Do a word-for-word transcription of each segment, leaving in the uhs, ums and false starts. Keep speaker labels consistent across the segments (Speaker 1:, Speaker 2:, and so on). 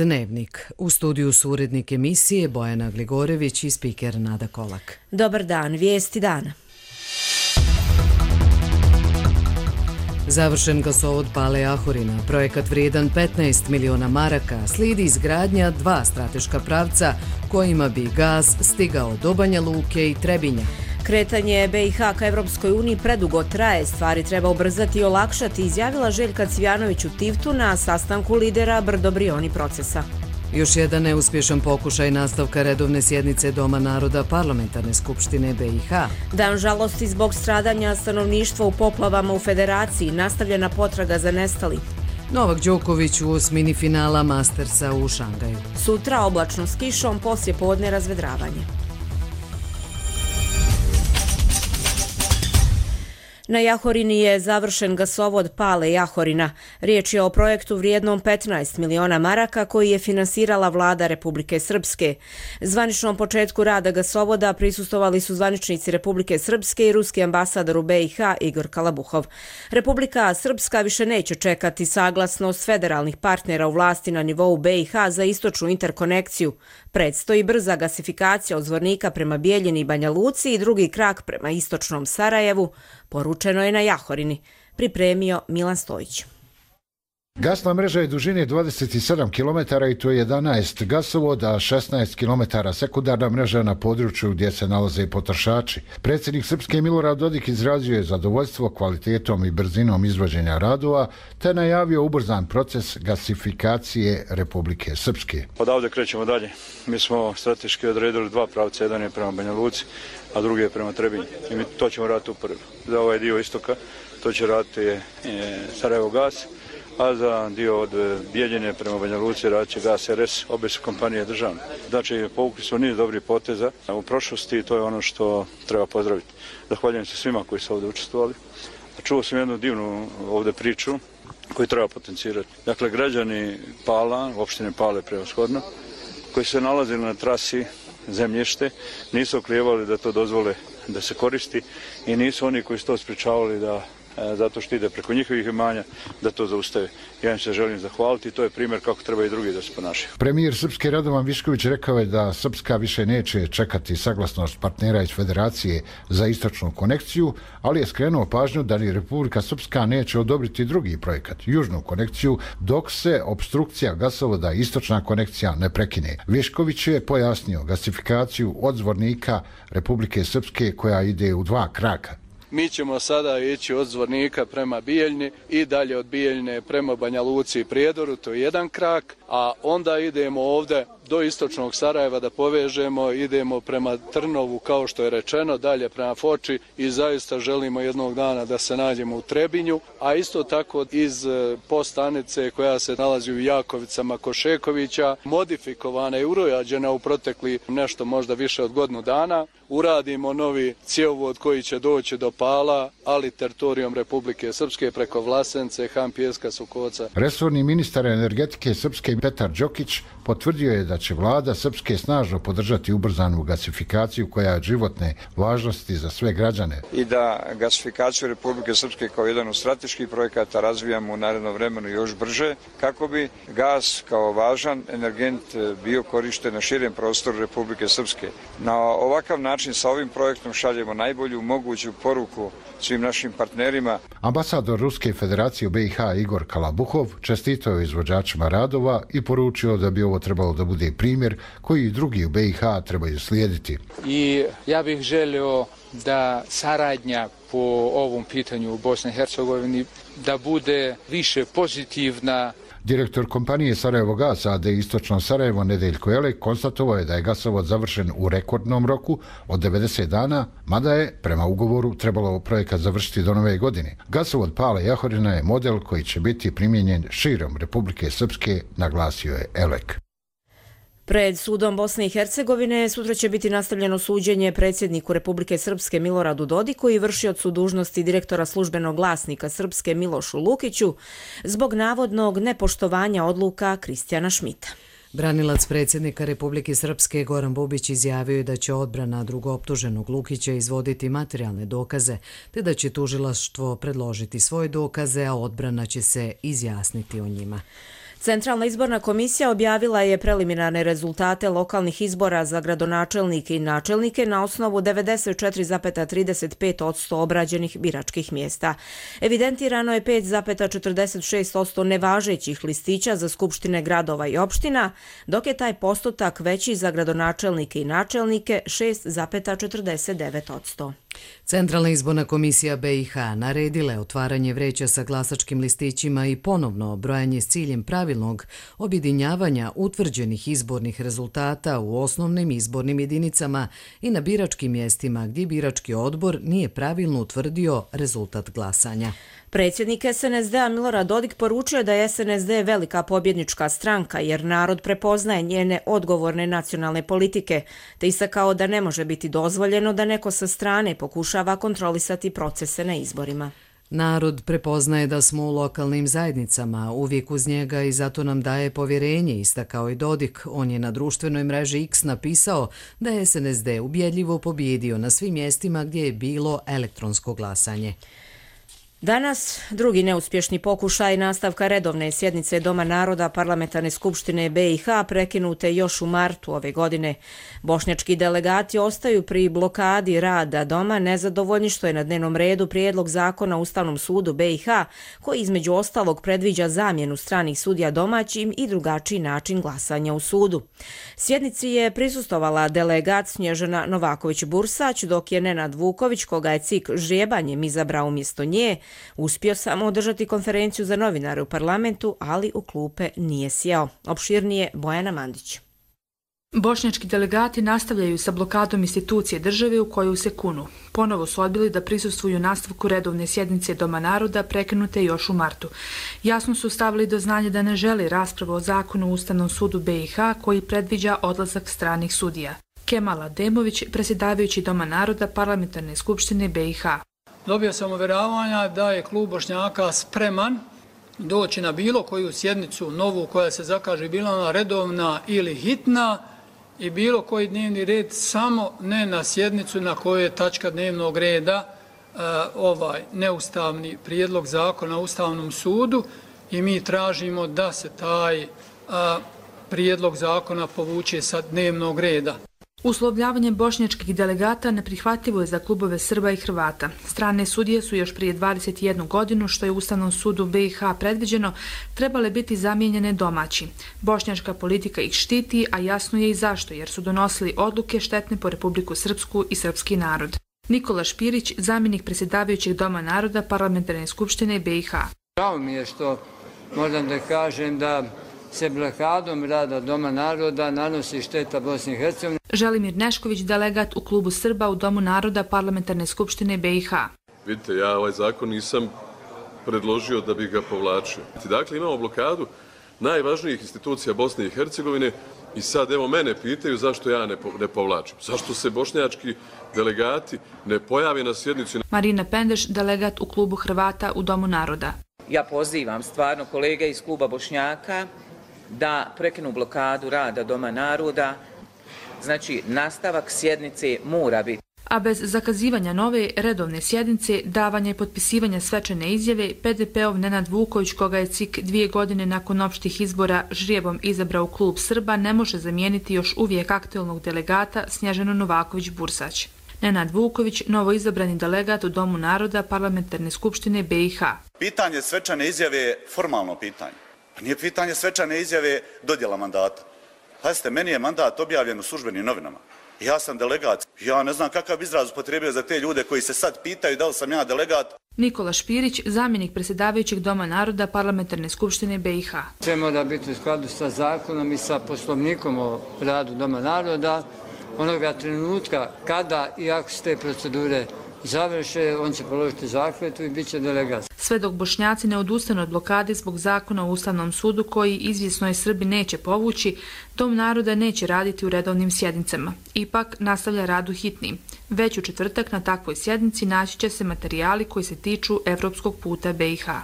Speaker 1: Dnevnik. U studiju su urednik emisije Bojana Gligorević i spiker Nada Kolak.
Speaker 2: Dobar dan, vijesti dana.
Speaker 1: Završen gasovod Pale-Ahorina, projekat vrijedan petnaest miliona maraka, slijedi izgradnja dva strateška pravca kojima bi gaz stigao do Banja Luke i Trebinja.
Speaker 2: Kretanje B i H ka Evropskoj uniji predugo traje, stvari treba ubrzati i olakšati, izjavila Željka Cvijanović u Tivtu na sastanku lidera Brdo-Brioni procesa.
Speaker 1: Još jedan neuspješan pokušaj nastavka redovne sjednice Doma naroda Parlamentarne skupštine B i H.
Speaker 2: Dan žalosti zbog stradanja stanovništva u poplavama u Federaciji, nastavljena potraga za nestali.
Speaker 1: Novak Đoković u osmini finala Mastersa u Šangaju.
Speaker 2: Sutra oblačno s kišom, poslije podne razvedravanje. Na Jahorini je završen gasovod Pale-Ahorina. Riječ je o projektu vrijednom petnaest miliona maraka koji je finansirala vlada Republike Srpske. Zvaničnom početku rada gasovoda prisustvovali su zvaničnici Republike Srpske i ruski ambasador u B i H Igor Kalabuhov. Republika Srpska više neće čekati saglasnost federalnih partnera u vlasti na nivou B i H za istočnu interkonekciju. Predstoji brza gasifikacija od Zvornika prema Bijeljini i Banja Luci i drugi krak prema istočnom Sarajevu, poručeno je na Jahorini, pripremio Milan Stojić.
Speaker 3: Gasna mreža je dužine dvadeset sedam kilometara i to je jedanaest gasovoda, a šesnaest kilometara sekundarna mreža na području gdje se nalaze potrošači. Predsjednik Srpske Milorad Dodik izrazio je zadovoljstvo kvalitetom i brzinom izvođenja radova, te najavio ubrzan proces gasifikacije Republike Srpske.
Speaker 4: Odavde krećemo dalje. Mi smo strateški odredili dva pravca, jedan je prema Banja Luci, a drugi je prema Trebinju. I mi to ćemo raditi upravo. Za ovaj dio istoka to će raditi je Sarajevo gas, a za dio od Bijeljine prema Banja Luci radit će Gas R S, obe su kompanije državne. Znači, povukli smo niz dobrih poteza u prošlosti i to je ono što treba pozdraviti. Zahvaljujem se svima koji su ovdje učestvovali. Čuo sam jednu divnu ovdje priču koju treba potencirati. Dakle, građani Pala, opštine Pale prevashodno, koji se nalazili na trasi zemljište, nisu oklijevali da to dozvole da se koristi i nisu oni koji su to sprečavali da zato što ide preko njihovih imanja, da to zaustave. Ja im se želim zahvaliti i to je primjer kako treba i drugi da se ponašaju.
Speaker 3: Premijer Srpske Radovan Višković rekao je da Srpska više neće čekati saglasnost partnera iz Federacije za istočnu konekciju, ali je skrenuo pažnju da ni Republika Srpska neće odobriti drugi projekat, južnu konekciju, dok se obstrukcija gasovoda istočna konekcija ne prekine. Višković je pojasnio gasifikaciju od Zvornika Republike Srpske koja ide u dva kraka.
Speaker 5: Mi ćemo sada ići od Zvornika prema Bijeljni i dalje od Bijeljne prema Banja Luci i Prijedoru, to je jedan krak, a onda idemo ovdje do istočnog Sarajeva da povežemo, idemo prema Trnovu kao što je rečeno, dalje prema Foči i zaista želimo jednog dana da se nađemo u Trebinju, a isto tako iz postanice koja se nalazi u Jakovicama Košekovića, modifikovana i urojađena u protekli nešto možda više od godinu dana, uradimo novi cjevovod koji će doći do Pala, ali teritorijom Republike Srpske preko Vlasence, Han, Pijeska, Sukoca.
Speaker 3: Resorni ministar energetike Srpske Petar Đokić potvrdio je da će vlada Srpske snažno podržati ubrzanu gasifikaciju koja je od životne važnosti za sve građane.
Speaker 6: I da gasifikaciju Republike Srpske kao jedan od strateških projekata razvijamo u narednom vremenu još brže, kako bi gas kao važan energent bio korišten na širem prostoru Republike Srpske. Na ovakav način sa ovim projektom šaljemo najbolju moguću poruku svim našim partnerima.
Speaker 3: Ambasador Ruske federacije u B i H Igor Kalabuhov čestitao je izvođačima radova i poručio da bi ovo trebalo da bude primjer koji i drugi u B i H trebaju slijediti.
Speaker 7: I ja bih želio da saradnja po ovom pitanju u Bosni i Hercegovini da bude više pozitivna.
Speaker 3: Direktor kompanije Sarajevo Gas A D Istočno Sarajevo Nedeljko Elek konstatovao je da je gasovod završen u rekordnom roku od devedeset dana, mada je prema ugovoru trebalo projekat završiti do nove godine. Gasovod Pale-Ahorina je model koji će biti primijenjen širom Republike Srpske, naglasio je Elek.
Speaker 2: Pred sudom Bosne i Hercegovine sutra će biti nastavljeno suđenje predsjedniku Republike Srpske Miloradu Dodiku i vršiocu dužnosti direktora službenog glasnika Srpske Milošu Lukiću zbog navodnog nepoštovanja odluka Kristijana Šmita.
Speaker 1: Branilac predsjednika Republike Srpske Goran Bubić izjavio je da će odbrana drugooptuženog Lukića izvoditi materijalne dokaze, te da će tužilaštvo predložiti svoje dokaze, a odbrana će se izjasniti o njima.
Speaker 2: Centralna izborna komisija objavila je preliminarne rezultate lokalnih izbora za gradonačelnike i načelnike na osnovu devedeset četiri zarez trideset pet posto obrađenih biračkih mjesta. Evidentirano je pet zarez četrdeset šest posto nevažećih listića za skupštine gradova i opština, dok je taj postotak veći za gradonačelnike i načelnike šest zarez četrdeset devet posto.
Speaker 1: Centralna izborna komisija B i H naredila je otvaranje vreća sa glasačkim listićima i ponovno brojanje s ciljem pravilnog objedinjavanja utvrđenih izbornih rezultata u osnovnim izbornim jedinicama i na biračkim mjestima gdje birački odbor nije pravilno utvrdio rezultat glasanja.
Speaker 2: Predsjednik S N S D-a Milorad Dodik poručio da je S N S D velika pobjednička stranka jer narod prepoznaje njene odgovorne nacionalne politike, te istakao da ne može biti dozvoljeno da neko sa strane pokušava kontrolisati procese na izborima.
Speaker 1: Narod prepoznaje da smo u lokalnim zajednicama, uvijek uz njega i zato nam daje povjerenje, istakao i Dodik. On je na društvenoj mreži X napisao da je S N S D ubjedljivo pobjedio na svim mjestima gdje je bilo elektronsko glasanje.
Speaker 2: Danas drugi neuspješni pokušaj nastavka redovne sjednice Doma naroda Parlamentarne skupštine B i H prekinute još u martu ove godine. Bošnjački delegati ostaju pri blokadi rada Doma nezadovoljni što je na dnevnom redu prijedlog zakona o Ustavnom sudu B i H koji između ostalog predviđa zamjenu stranih sudija domaćim i drugačiji način glasanja u sudu. Sjednici je prisustvovala delegat Snježana Novaković-Bursać, dok je Nenad Vuković, koga je C I K ždrijebanjem izabrao umjesto nje, uspio samo održati konferenciju za novinare u parlamentu, ali u klupe nije sjeo. Opširnije Bojana Mandić.
Speaker 8: Bošnjački delegati nastavljaju sa blokadom institucije države u koju se kunu. Ponovo su odbili da prisustvuju nastavku redovne sjednice Doma naroda prekinute još u martu. Jasno su stavili do znanja da ne žele raspravu o zakonu u Ustavnom sudu B i H koji predviđa odlazak stranih sudija. Kemal Ademović, predsjedavajući Doma naroda Parlamentarne skupštine B i H.
Speaker 9: Dobio sam uvjeravanja da je klub Bošnjaka spreman doći na bilo koju sjednicu novu koja se zakaže, bila ona redovna ili hitna, i bilo koji dnevni red, samo ne na sjednicu na kojoj je tačka dnevnog reda uh, ovaj neustavni prijedlog zakona o Ustavnom sudu, i mi tražimo da se taj uh, prijedlog zakona povuče sa dnevnog reda.
Speaker 8: Uslovljavanje bošnjačkih delegata neprihvatljivo je za klubove Srba i Hrvata. Strane sudije su još prije dvadeset jednu godinu, što je u Ustavnom sudu B i H predviđeno, trebale biti zamijenjene domaći. Bošnjačka politika ih štiti, a jasno je i zašto, jer su donosili odluke štetne po Republiku Srpsku i srpski narod. Nikola Špirić, zamjenik predsjedavajućeg Doma naroda Parlamentarne skupštine B i H.
Speaker 10: Žao mi je što moram da kažem da se blokadom rada Doma naroda nanosi šteta Bosni i Hercegovini.
Speaker 8: Želimir Nešković, delegat u klubu Srba u Domu naroda Parlamentarne skupštine B i H.
Speaker 11: Vidite, ja ovaj zakon nisam predložio da bi ga povlačio. Dakle, imamo blokadu najvažnijih institucija Bosne i Hercegovine i sad evo mene pitaju zašto ja ne, po, ne povlačim. Zašto se bošnjački delegati ne pojave na sjednici?
Speaker 8: Marina Pendeš, delegat u klubu Hrvata u Domu naroda.
Speaker 12: Ja pozivam stvarno kolege iz kluba Bošnjaka da prekinu blokadu rada Doma naroda. Znači, nastavak sjednice mora biti.
Speaker 8: A bez zakazivanja nove redovne sjednice, davanja i potpisivanja svečane izjave, P D P-ov Nenad Vuković, koga je C I K dvije godine nakon opštih izbora ždrijebom izabrao klub Srba, ne može zamijeniti još uvijek aktualnog delegata Snježanu Novaković-Bursać. Nenad Vuković, novo izabrani delegat u Domu naroda Parlamentarne skupštine B i H.
Speaker 13: Pitanje svečane izjave je formalno pitanje. Pa nije pitanje svečane izjave dodjela mandata. Pazite, meni je mandat objavljen u službenim novinama. Ja sam delegat. Ja ne znam kakav izraz upotrijebio za te ljude koji se sad pitaju da li sam ja delegat.
Speaker 8: Nikola Špirić, zamjenik predsjedavajućeg Doma naroda Parlamentarne skupštine B i H.
Speaker 10: Sve mora biti u skladu sa zakonom i sa poslovnikom o radu Doma naroda. Onoga trenutka kada i ako se te procedure završe, on će položiti zakletvu i bit će delegat.
Speaker 8: Sve dok Bošnjaci ne odustanu od blokade zbog zakona o Ustavnom sudu koji izvjesno je Srbi neće povući, Dom naroda neće raditi u redovnim sjednicama. Ipak nastavlja rad u hitnim. Već u četvrtak na takvoj sjednici naći će se materijali koji se tiču evropskog puta B i H.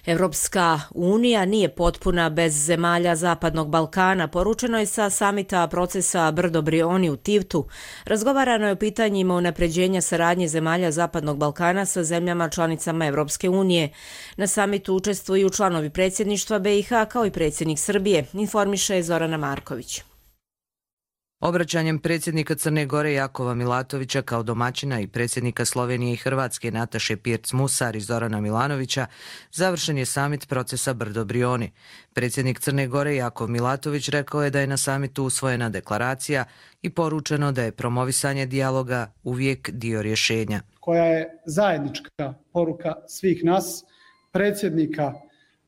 Speaker 2: Evropska unija nije potpuna bez zemalja Zapadnog Balkana, poručeno je sa samita procesa Brdo-Brioni u Tivtu. Razgovarano je o pitanjima unapređenja saradnje zemalja Zapadnog Balkana sa zemljama članicama Evropske unije. Na samitu učestvuju članovi predsjedništva B i H kao i predsjednik Srbije, informiše Zorana Marković.
Speaker 14: Obraćanjem predsjednika Crne Gore Jakova Milatovića kao domaćina i predsjednika Slovenije i Hrvatske Nataše Pirc-Musar i Zorana Milanovića završen je samit procesa Brdo-Brioni. Predsjednik Crne Gore Jakov Milatović rekao je da je na samitu usvojena deklaracija i poručeno da je promovisanje dijaloga uvijek dio rješenja.
Speaker 15: Koja je zajednička poruka svih nas, predsjednika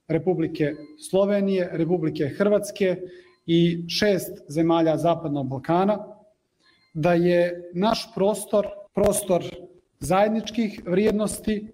Speaker 15: Republike Slovenije, Republike Hrvatske i šest zemalja Zapadnog Balkana, da je naš prostor prostor zajedničkih vrijednosti,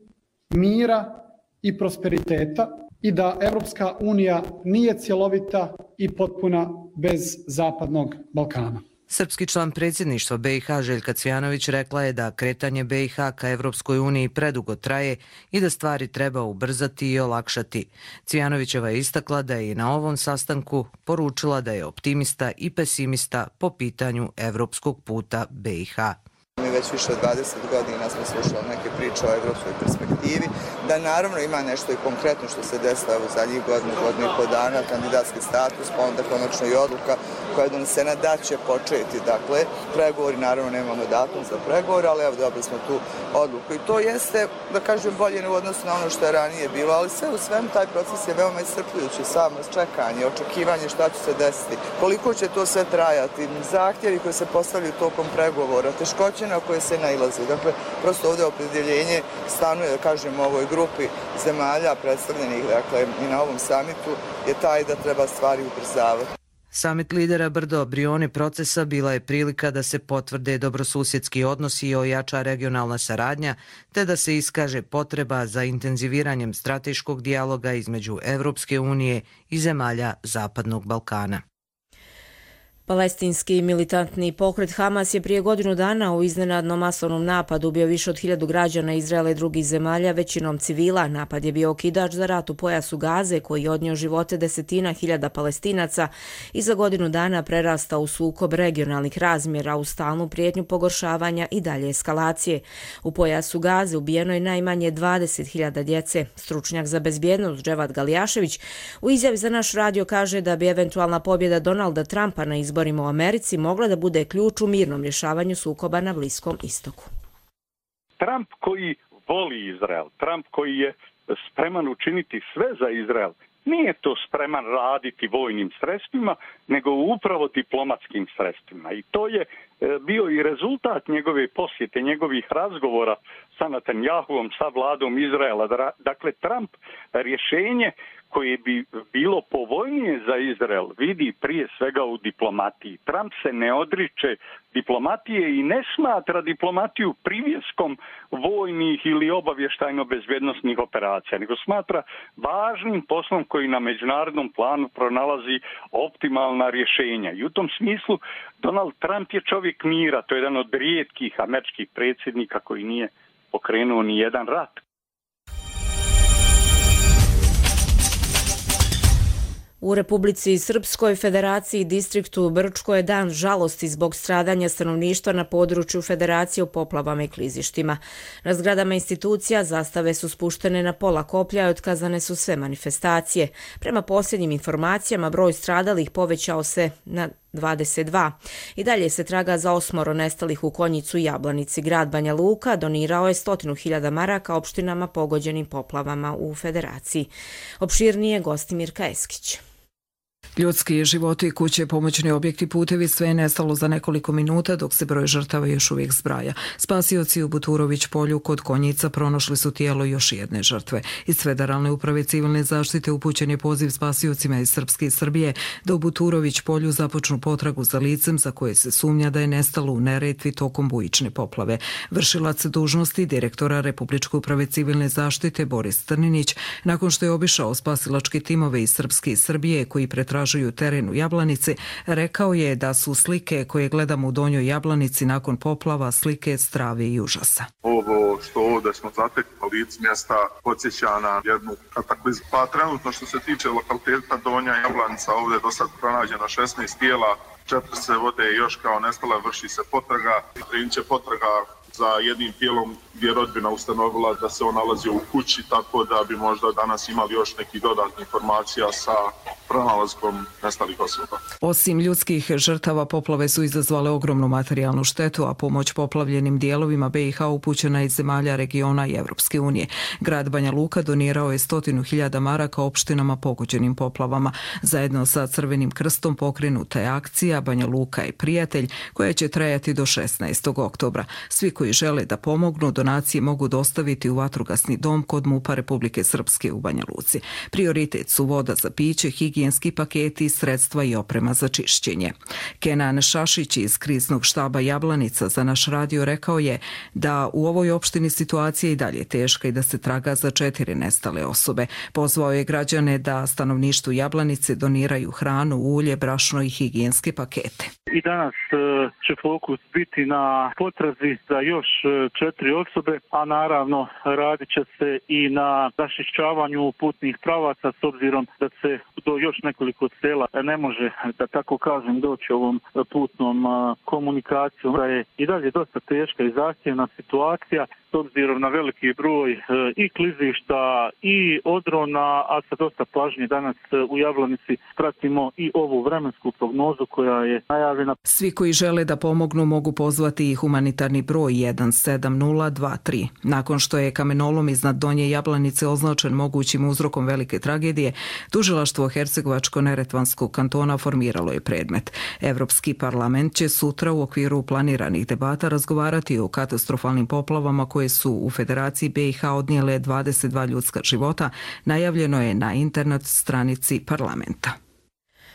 Speaker 15: mira i prosperiteta i da Evropska unija nije cjelovita i potpuna bez Zapadnog Balkana.
Speaker 14: Srpski član predsjedništva B i H Željka Cvjanović rekla je da kretanje B i H ka Evropskoj uniji predugo traje i da stvari treba ubrzati i olakšati. Cvjanovićeva je istakla da je i na ovom sastanku poručila da je optimista i pesimista po pitanju evropskog puta B i H.
Speaker 16: Mi već više od dvadeset godina smo slušali neke priče o evropskoj perspektivi, da naravno ima nešto i konkretno što se desilo u zadnjih godinu, godinu i po dana, kandidatski status, pa onda konačno i odluka koja je donesena da će početi. Dakle, pregovori, naravno nemamo datum za pregovor, ali evo dobili smo tu odluku. I to jeste, da kažem, bolje u odnosu na ono što je ranije bilo, ali sve u svemu taj proces je veoma iscrpljujući, samo čekanje, očekivanje šta će se desiti, koliko će to sve trajati, zahtjevi koji se postavljaju tokom pregovora, teškoće na koje se nailazi. Dakle, prosto ovdje opredjeljenje stanuje, da kažem, u ovoj grupi zemalja predstavljenih, dakle, i na ovom samitu je taj da treba stvari ubrzavati.
Speaker 14: Samit lidera Brdo-Brioni procesa bila je prilika da se potvrde dobrosusjedski odnosi i ojača regionalna saradnja, te da se iskaže potreba za intenziviranjem strateškog dijaloga između Evropske unije i zemalja Zapadnog Balkana.
Speaker 2: Palestinski militantni pokret Hamas je prije godinu dana u iznenadnom masovnom napadu ubio više od hiljadu građana Izraela i drugih zemalja, većinom civila. Napad je bio okidač za rat u pojasu Gaze, koji je odnio živote desetina hiljada Palestinaca i za godinu dana prerastao u sukob regionalnih razmjera u stalnu prijetnju pogoršavanja i dalje eskalacije. U pojasu Gaze ubijeno je najmanje dvadeset hiljada djece. Stručnjak za bezbjednost Dževad Galijašević u izjavi za naš radio kaže da bi eventualna pobjeda Donalda Trumpa na izborima u Americi mogla da bude ključ u mirnom rješavanju sukoba na Bliskom istoku.
Speaker 17: Trump koji voli Izrael, Trump koji je spreman učiniti sve za Izrael, nije to spreman raditi vojnim sredstvima, nego upravo diplomatskim sredstvima. I to je bio i rezultat njegove posjete, njegovih razgovora sa Netanjahuom, sa vladom Izraela. Dakle, Trump rješenje koje bi bilo povoljnije za Izrael vidi prije svega u diplomatiji. Trump se ne odriče diplomatije i ne smatra diplomatiju privjeskom vojnih ili obavještajno-bezbjednosnih operacija, nego smatra važnim poslom koji na međunarodnom planu pronalazi optimalna rješenja. I u tom smislu Donald Trump je čovjek mira, to je jedan od rijetkih američkih predsjednika koji nije pokrenuo ni jedan rat.
Speaker 2: U Republici Srpskoj Federaciji distriktu Brčko je dan žalosti zbog stradanja stanovništva na području Federacije u poplavama i klizištima. Na zgradama institucija zastave su spuštene na pola koplja i otkazane su sve manifestacije. Prema posljednjim informacijama broj stradalih povećao se na dvadeset dva. I dalje se traga za osmoro nestalih u Konjicu i Jablanici. Grad Banja Luka donirao je stotinu hiljada maraka opštinama pogođenim poplavama u Federaciji. Opširnije Gostimirka Eskić.
Speaker 18: Ljudski životi, kuće, pomoćni objekti, putevi, sve je nestalo za nekoliko minuta dok se broj žrtava još uvijek zbraja. Spasioci u Buturović polju kod Konjica pronašli su tijelo još jedne žrtve. Iz Federalne uprave civilne zaštite upućen je poziv spasiocima iz Srpske i Srbije da u Buturović polju započnu potragu za licem za koje se sumnja da je nestalo u Neretvi tokom bujične poplave. Vršilac dužnosti direktora Republičke uprave civilne zaštite Boris Trninić, nakon što je obišao spasilačke timove iz Srpske i Srbije koji pretražuju istražuju teren u Jablanici, rekao je da su slike koje gledamo u Donjoj Jablanici nakon poplava slike strave i užasa.
Speaker 19: Ovo što ovdje smo zatekli na licu mjesta podsjeća na jednu kataklizmu. Pa trenutno što se tiče lokaliteta Donja Jablanica, ovdje je do sad pronađeno šesnaest tijela, četiri se vode još kao nestale, vrši se potraga. Krenut će potraga za jednim tijelom gdje je rodbina ustanovila da se on nalazio u kući, tako da bi možda danas imali još nekih dodatnih informacija sa pronalaskom nestalih osoba.
Speaker 18: Osim ljudskih žrtava, poplave su izazvale ogromnu materijalnu štetu, a pomoć poplavljenim dijelovima B i H upućena iz zemalja regiona i Evropske unije. Grad Banja Luka donirao je stotinu hiljada maraka opštinama pogođenim poplavama. Zajedno sa Crvenim krstom pokrenuta je akcija Banja Luka je prijatelj, koja će trajati do šesnaestog oktobra. Svi koji žele da pomognu, donacije mogu dostaviti u vatrogasni dom kod MUP-a Republike Srpske u Banja Luci. Prioritet su voda za piće, higijenski paketi, sredstva i oprema za čišćenje. Kenan Šašić iz kriznog štaba Jablanica za naš radio rekao je da u ovoj opštini situacija i dalje teška i da se traga za četiri nestale osobe. Pozvao je građane da stanovništvu Jablanice doniraju hranu, ulje, brašno i higijenske pakete.
Speaker 20: I danas će fokus biti na potrazi za još četiri osobe, a naravno radit će se i na raščišćavanju putnih pravaca s obzirom da se do još nekoliko sela ne može, da tako kažem, doći ovom putnom komunikacijom. Da je i dalje dosta teška i zahtjevna situacija s obzirom na veliki broj i klizišta i odrona, a sa dosta pažnje danas u Jablanici pratimo i ovu vremensku prognozu koja je najavljena.
Speaker 18: Svi koji žele da pomognu mogu pozvati i humanitarni broj jedan sedam nula dva tri. Nakon što je kamenolom iznad Donje Jablanice označen mogućim uzrokom velike tragedije, tužilaštvo Hercegovačko-Neretvanskog kantona formiralo je predmet. Evropski parlament će sutra u okviru planiranih debata razgovarati o katastrofalnim poplavama koje su u Federaciji B i H odnijele dvadeset dva ljudska života, najavljeno je na internet stranici parlamenta.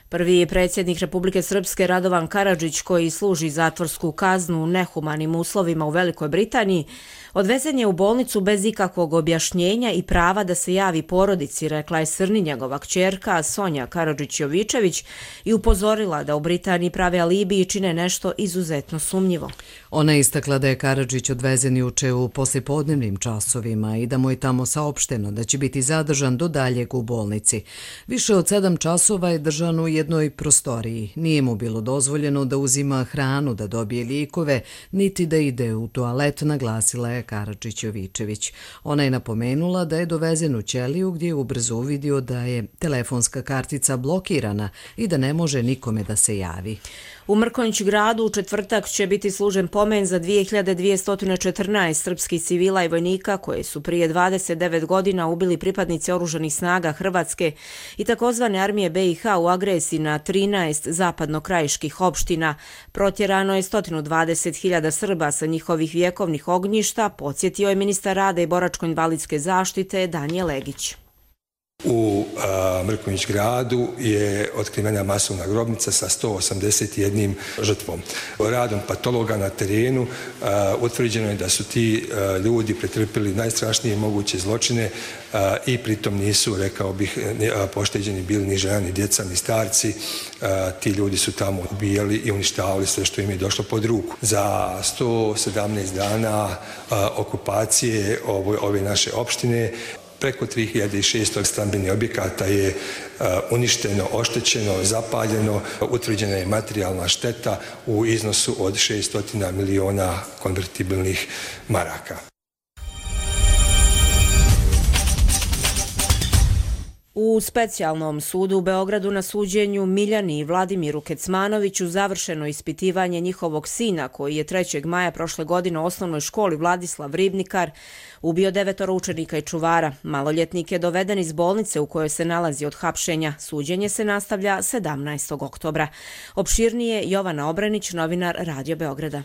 Speaker 2: Prvi predsjednik Republike Srpske Radovan Karadžić, koji služi zatvorsku kaznu u nehumanim uslovima u Velikoj Britaniji, odvezen je u bolnicu bez ikakvog objašnjenja i prava da se javi porodici, rekla je Srni njegova kćerka Sonja Karadžić-Jovičević i upozorila da u Britaniji prave alibi i čine nešto izuzetno sumnjivo.
Speaker 1: Ona je istakla da je Karadžić odvezen juče u poslijepodnevnim časovima i da mu je tamo saopšteno da će biti zadržan do daljeg u bolnici. Više od sedam časova je držan u jednoj prostoriji. Nije mu bilo dozvoljeno da uzima hranu, da dobije lijekove, niti da ide u toalet, naglasila je Karadžić-Jovičević. Ona je napomenula da je dovezen u ćeliju gdje je ubrzo uvidio da je telefonska kartica blokirana i da ne može nikome da se javi.
Speaker 2: U Mrkonjić gradu u četvrtak će biti služen pomen za dvije hiljade dvjesto četrnaest srpskih civila i vojnika koje su prije dvadeset devet godina ubili pripadnici oružanih snaga Hrvatske i takozvane armije B i H u agresiji na trinaest zapadnokrajiških opština. Protjerano je sto dvadeset hiljada Srba sa njihovih vjekovnih ognjišta, podsjetio je ministar rada i boračko-invalidske zaštite Danijel Legić.
Speaker 21: U Mrkonjić gradu je otkrivena masovna grobnica sa sto osamdeset jednom žrtvom. Radom patologa na terenu a, utvrđeno je da su ti a, ljudi pretrpili najstrašnije moguće zločine a, i pritom nisu, rekao bih, a, pošteđeni bili ni žena, ni djeca, ni starci. A, ti ljudi su tamo ubijali i uništavali sve što im je došlo pod ruku. Za sto sedamnaest dana a, okupacije ove, ove naše opštine preko tri hiljade šesto stambenih objekata je uh, uništeno, oštećeno, zapaljeno, utvrđena je materijalna šteta u iznosu od šesto miliona konvertibilnih maraka.
Speaker 2: U specijalnom sudu u Beogradu na suđenju Miljani i Vladimiru Kecmanoviću završeno ispitivanje njihovog sina koji je trećeg maja prošle godine u osnovnoj školi Vladislav Ribnikar ubio devetoro učenika i čuvara. Maloljetnik je doveden iz bolnice u kojoj se nalazi od hapšenja. Suđenje se nastavlja sedamnaestog oktobra. Opširnije Jovana Obranić, novinar Radio Beograda.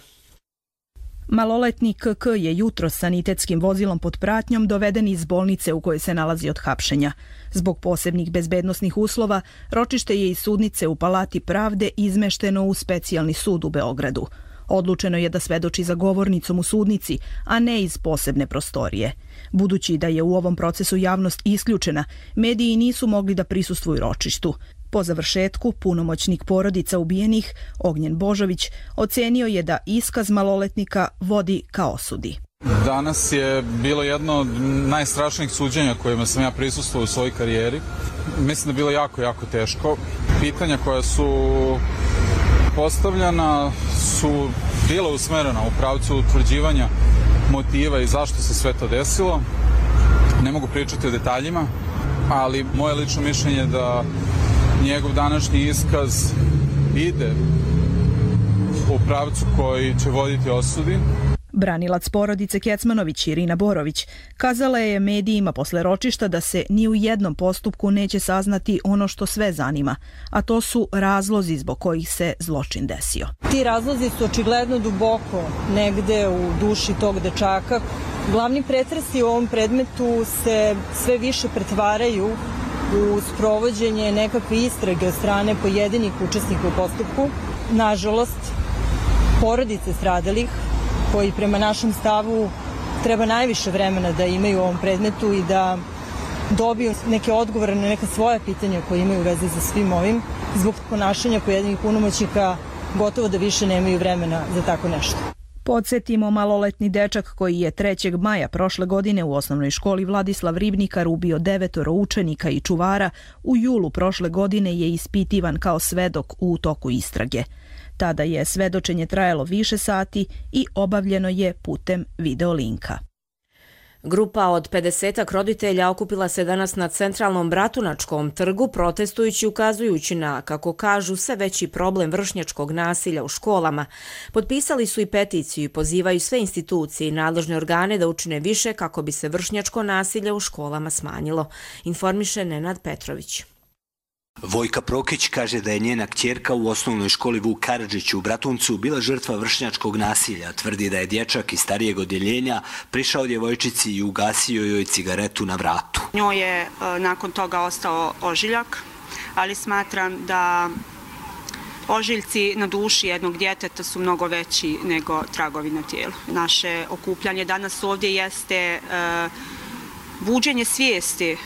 Speaker 22: Maloletnik K K je jutro sanitetskim vozilom pod pratnjom doveden iz bolnice u kojoj se nalazi od hapšenja. Zbog posebnih bezbednosnih uslova, ročište je iz sudnice u Palati pravde izmešteno u specijalni sud u Beogradu. Odlučeno je da svedoči za govornicom u sudnici, a ne iz posebne prostorije. Budući da je u ovom procesu javnost isključena, mediji nisu mogli da prisustvuju ročištu. Po završetku, punomoćnik porodica ubijenih, Ognjen Božović, ocenio je da iskaz maloletnika vodi ka osudi.
Speaker 4: Danas je bilo jedno od najstrašnijih suđenja kojima sam ja prisustvovao u svojoj karijeri. Mislim da je bilo jako, jako teško. Pitanja koja su postavljena su bila usmerena u pravcu utvrđivanja motiva i zašto se sve to desilo. Ne mogu pričati o detaljima, ali moje lično mišljenje je da njegov današnji iskaz ide u pravcu koji će voditi osudi.
Speaker 22: Branilac porodice Kecmanović Irina Borović kazala je medijima posle ročišta da se ni u jednom postupku neće saznati ono što sve zanima, a to su razlozi zbog kojih se zločin desio.
Speaker 5: Ti razlozi su očigledno duboko negde u duši tog dečaka. Glavni pretresi u ovom predmetu se sve više pretvaraju u sprovođenje nekakve istrage od strane pojedinih učesnika u postupku. Nažalost, porodice stradalih, koji prema našem stavu treba najviše vremena da imaju u ovom predmetu i da dobiju neke odgovore na neka svoja pitanja koje imaju u vezi za svim ovim. Zbog ponašanja pojedinih punomoćnika gotovo da više nemaju vremena za tako nešto.
Speaker 22: Podsjetimo, maloletni dečak koji je trećeg maja prošle godine u osnovnoj školi Vladislav Ribnikar ubio devetoro učenika i čuvara, u julu prošle godine je ispitivan kao svedok u toku istrage. Tada je svedočenje trajalo više sati i obavljeno je putem videolinka.
Speaker 2: Grupa od pedesetak roditelja okupila se danas na centralnom Bratunačkom trgu protestujući ukazujući na, kako kažu, sve veći problem vršnjačkog nasilja u školama. Potpisali su i peticiju i pozivaju sve institucije i nadležne organe da učine više kako bi se vršnjačko nasilje u školama smanjilo, informiše Nenad Petrović.
Speaker 23: Vojka Prokić kaže da je njena kćerka u osnovnoj školi Vuk Karadžić u Bratuncu bila žrtva vršnjačkog nasilja. Tvrdi da je dječak iz starijeg odjeljenja prišao djevojčici i ugasio joj cigaretu na vratu.
Speaker 24: Njoj je nakon toga ostao ožiljak, ali smatram da ožiljci na duši jednog djeteta su mnogo veći nego tragovi na tijelu. Naše okupljanje danas ovdje jeste buđenje svijesti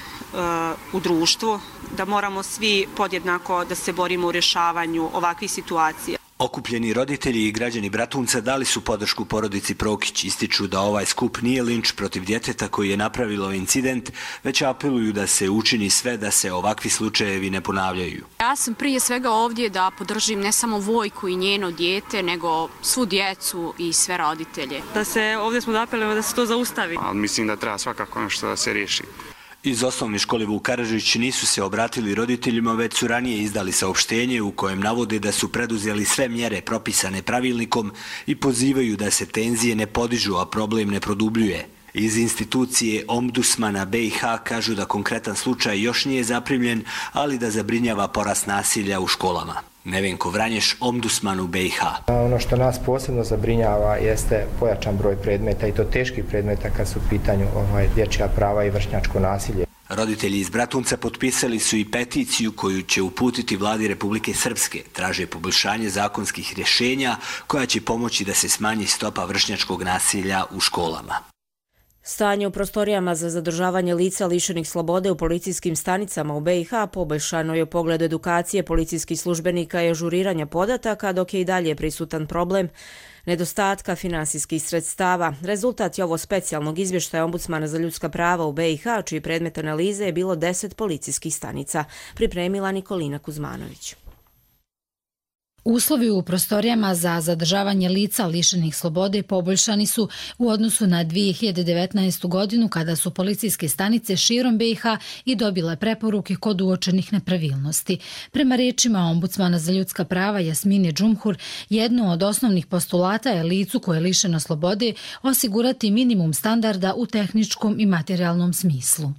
Speaker 24: u društvu, da moramo svi podjednako da se borimo u rješavanju ovakvih situacija.
Speaker 23: Okupljeni roditelji i građani Bratunca dali su podršku porodici Prokić, ističu da ovaj skup nije linč protiv djeteta koji je napravilo incident, već apeluju da se učini sve da se ovakvi slučajevi ne ponavljaju.
Speaker 25: Ja sam prije svega ovdje da podržim ne samo Vojku i njeno dijete, nego svu djecu i sve roditelje.
Speaker 24: Da se ovdje smo apelujemo da se to zaustavi.
Speaker 26: Ali mislim da treba svakako nešto da se riješi.
Speaker 23: Iz osnovne škole Vuk Karadžić nisu se obratili roditeljima, već su ranije izdali saopštenje u kojem navode da su preduzeli sve mjere propisane pravilnikom i pozivaju da se tenzije ne podižu, a problem ne produbljuje. Iz institucije Ombudsmana B i H kažu da konkretan slučaj još nije zaprimljen, ali da zabrinjava porast nasilja u školama. Nevenko Vranješ, Ombudsman u B i H.
Speaker 27: Ono što nas posebno zabrinjava jeste pojačan broj predmeta i to teških predmeta kad su u pitanju ovaj, dječja prava i vršnjačko nasilje.
Speaker 23: Roditelji iz Bratunca potpisali su i peticiju koju će uputiti vladi Republike Srpske. Traže poboljšanje zakonskih rješenja koja će pomoći da se smanji stopa vršnjačkog nasilja u školama.
Speaker 2: Stanje u prostorijama za zadržavanje lica lišenih slobode u policijskim stanicama u B i H poboljšano je u pogledu edukacije policijskih službenika i ažuriranja podataka, dok je i dalje prisutan problem nedostatka finansijskih sredstava. Rezultat je ovo specijalnog izvještaja Ombudsmana za ljudska prava u B i H, čiji predmet analize je bilo deset policijskih stanica, pripremila Nikolina Kuzmanović.
Speaker 28: Uslovi u prostorijama za zadržavanje lica lišenih slobode poboljšani su u odnosu na dvije hiljade devetnaestu. godinu kada su policijske stanice širom B i H i dobile preporuke kod uočenih nepravilnosti. Prema rečima Ombudsmana za ljudska prava Jasmine Džumhur, jedno od osnovnih postulata je licu koje je lišeno slobode osigurati minimum standarda u tehničkom i materijalnom smislu.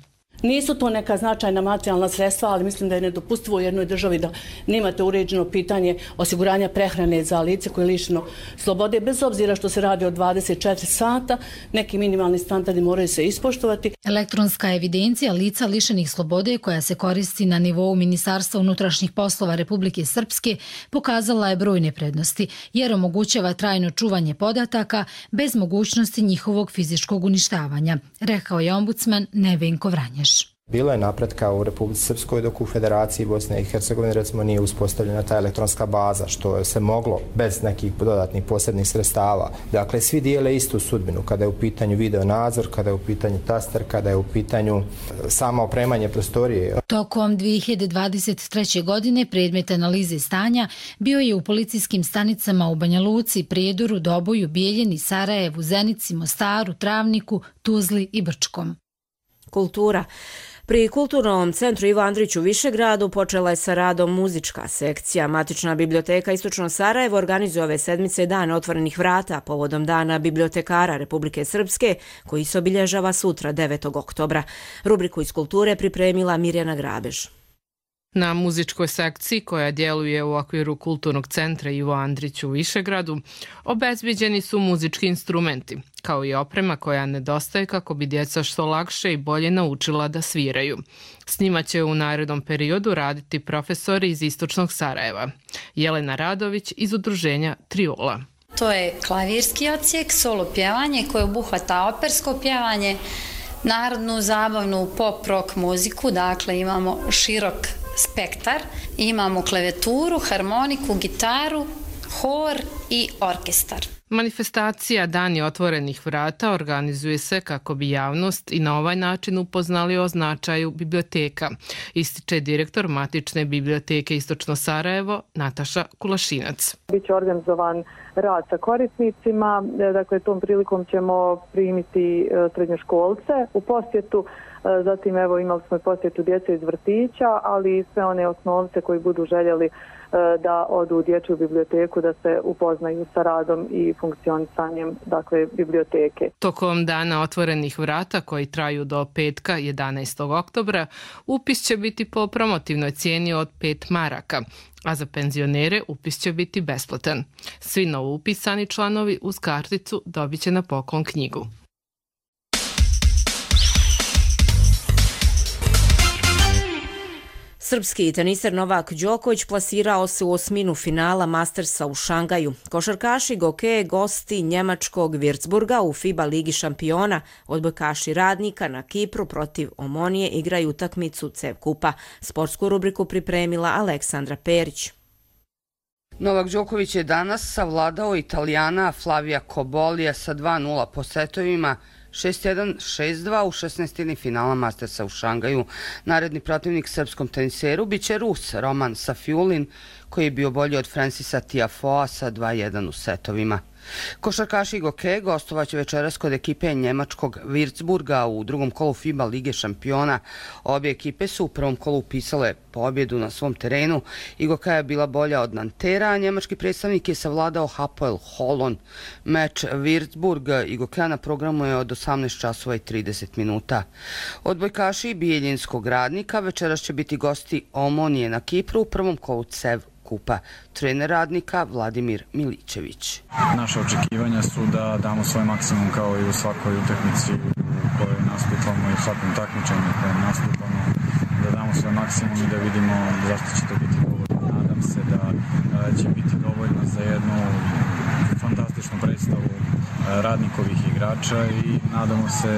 Speaker 29: Nisu to neka značajna materijalna sredstva, ali mislim da je nedopustivo u jednoj državi da nemate uređeno pitanje osiguranja prehrane za lice koje je lišeno slobode, bez obzira što se radi o dvadeset četiri sata, neki minimalni standardi moraju se ispoštovati.
Speaker 28: Elektronska evidencija lica lišenih slobode koja se koristi na nivou Ministarstva unutrašnjih poslova Republike Srpske pokazala je brojne prednosti, jer omogućava trajno čuvanje podataka bez mogućnosti njihovog fizičkog uništavanja, rekao je ombudsman Nevenko Vranješ.
Speaker 27: Bilo je napretka u Republici Srpskoj, dok u Federaciji Bosne i Hercegovine recimo nije uspostavljena ta elektronska baza, što se moglo bez nekih dodatnih posebnih sredstava. Dakle, svi dijele istu sudbinu kada je u pitanju video nadzor, kada je u pitanju taster, kada je u pitanju samo opremanje prostorije.
Speaker 28: Tokom dvije hiljade dvadeset treće. godine predmet analize stanja bio je u policijskim stanicama u Banja Luci, Prijedoru, Doboju, Bijeljini, Sarajevu, Zenici, Mostaru, Travniku, Tuzli i Brčkom.
Speaker 2: Kultura. Pri Kulturnom centru Ivo Andrić u Višegradu počela je sa radom muzička sekcija. Matična biblioteka Istočno Sarajevo organizuje ove sedmice Dan otvorenih vrata povodom Dana bibliotekara Republike Srpske, koji se obilježava sutra devetog oktobra. Rubriku iz kulture pripremila Mirjana Grabež.
Speaker 3: Na muzičkoj sekciji koja djeluje u okviru Kulturnog centra Ivo Andrić u Višegradu obezbeđeni su muzički instrumenti, kao i oprema koja nedostaje kako bi djeca što lakše i bolje naučila da sviraju. S njima će u narednom periodu raditi profesori iz Istočnog Sarajeva. Jelena Radović iz udruženja Triola.
Speaker 6: To je klavirski odsjek, solo pjevanje koje obuhvata opersko pjevanje, narodnu, zabavnu, pop, rock muziku, dakle imamo širok spektar, imamo klavijeturu, harmoniku, gitaru, hor i orkestar.
Speaker 3: Manifestacija Dani otvorenih vrata organizuje se kako bi javnost i na ovaj način upoznali o značaju biblioteka, ističe direktor Matične biblioteke Istočno Sarajevo Nataša Kulašinac.
Speaker 7: Biće organizovan rad sa korisnicima, dakle tom prilikom ćemo primiti srednjoškolce u posjetu, zatim evo imali smo posjetu djece iz vrtića, ali i sve one osnovce koji budu željeli da odu u dječju biblioteku, da se upoznaju sa radom i funkcionisanjem dakle, biblioteke.
Speaker 3: Tokom Dana otvorenih vrata koji traju do petka jedanaestog oktobra, upis će biti po promotivnoj cijeni od pet maraka, a za penzionere upis će biti besplatan. Svi novoupisani članovi uz karticu dobit će na poklon knjigu.
Speaker 2: Srpski teniser Novak Đoković plasirao se u osminu finala Mastersa u Šangaju. Košarkaši Goke, gosti njemačkog Würzburga u FIBA Ligi šampiona, odbojkaši Radnika na Kipru protiv Omonije igraju utakmicu C E V Kupa. Sportsku rubriku pripremila Aleksandra Perić.
Speaker 8: Novak Đoković je danas savladao Italijana Flavija Kobolija sa dva nula po setovima, šest jedan, šest dva u šesnaestini finala Mastersa u Šangaju. Naredni protivnik srpskom teniseru biće Rus Roman Safiulin, koji je bio bolji od Francisa Tiafoea sa dva jedan u setovima. Košarkaši Goke gostovaće večeras kod ekipe njemačkog Würzburga u drugom kolu FIBA Lige šampiona. Obje ekipe su u prvom kolu upisale pobjedu na svom terenu i Goka je bila bolja od Nantera, a njemački predstavnik je savladao Hapoel Holon. Meč Würzburg i Goka na programu je od osamnaest časova i trideset minuta. Odbojkaši Bijeljinskog Radnika večeras će biti gosti Omonije na Kipru u prvom kolu C E V Kupa. Trener Radnika Vladimir Milićević.
Speaker 4: Naše očekivanja su da damo svoj maksimum kao i u svakoj utakmici u kojoj nastupamo i u svakom takmičenju u kojem nastupamo, da damo svoj maksimum i da vidimo zašto će to biti dovoljno. Nadam se da će biti dovoljno za jednu fantastičnu predstavu Radnikovih igrača i nadamo se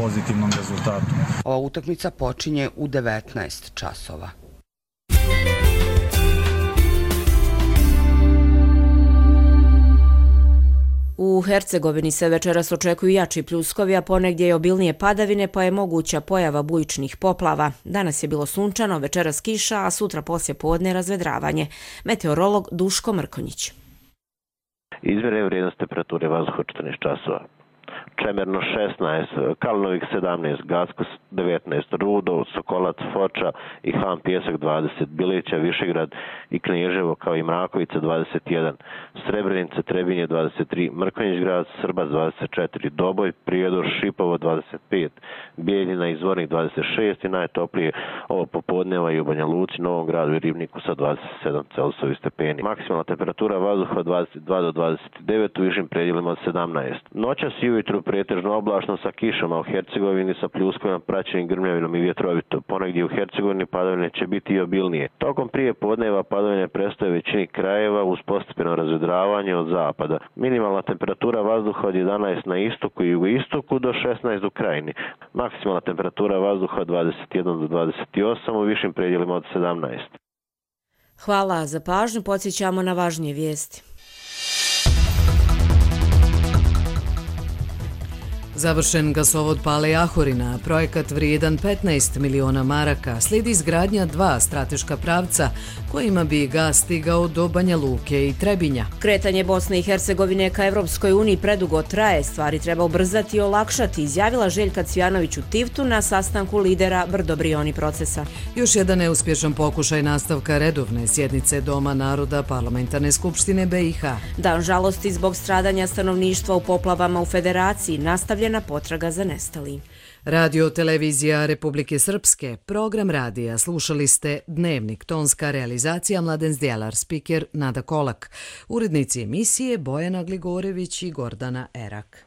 Speaker 4: pozitivnom rezultatu.
Speaker 8: Ova utakmica počinje u devetnaest časova.
Speaker 2: U Hercegovini se večeras očekuju jači pljuskovi, a ponegdje je obilnije padavine, pa je moguća pojava bujičnih poplava. Danas je bilo sunčano, večeras kiša, a sutra poslije podne razvedravanje. Meteorolog Duško Mrkonjić.
Speaker 9: Izmjere vrijednost temperature vazduha četrnaest časova. Čemerno šesnaest, Kalnovik sedamnaest, Gacko devetnaest, Rudo, Sokolac, Foča i Han Pjesak dvadeset, Bilića, Višegrad i Knježevo kao i Mrakovica dvadeset jedan, Srebrenica, Trebinje dvadeset tri, Mrkonjić grad, Srbac dvadeset četiri, Doboj, Prijedor, Šipovo dvadeset pet, Bijeljina i Zvornik dvadeset šest i najtoplije ovo popodneva i u Banja Luci, Novom gradu i Ribniku sa dvadeset sedam Celsijevi stepeni. Maksimalna temperatura vazduha dvadeset dva do dvadeset devet, u višim predjelima od sedamnaest. Noćas i ujutru pretežno oblačno sa kišama, u Hercegovini sa pljuskovima praćenim grmljavinom i vjetrovito. Ponegdje u Hercegovini padavine će biti i obilnije. Tokom prije podneva padavine prestaje u većini krajeva uz postepeno razvedravanje od zapada. Minimalna temperatura vazduha od jedanaest na istoku i jugoistoku do šesnaest u krajini. Maksimalna temperatura vazduha od dvadeset jedan do dvadeset osam, u višim predjelima od sedamnaest.
Speaker 2: Hvala za pažnju, podsjećamo na važnije vijesti.
Speaker 1: Završen gasovod Pale Jahorina, projekat vrijedan petnaest miliona maraka, slijedi izgradnja dva strateška pravca kojima bi gas stigao do Banja Luke i Trebinja.
Speaker 2: Kretanje Bosne i Hercegovine ka Evropskoj uniji predugo traje, stvari treba ubrzati i olakšati, izjavila Željka Cvijanović u Tivtu na sastanku lidera Brdo-Brioni procesa.
Speaker 1: Još jedan neuspješan pokušaj nastavka redovne sjednice Doma naroda Parlamentarne skupštine B i H.
Speaker 2: Dan žalosti zbog stradanja stanovništva u poplavama u Federaciji, nastavljena potraga za nestali.
Speaker 1: Radio televizija Republike Srpske, program radija, slušali ste Dnevnik, tonska realizacija Mladen Zdjelar, spiker Nada Kolak, urednici emisije Bojana Gligorević i Gordana Erak.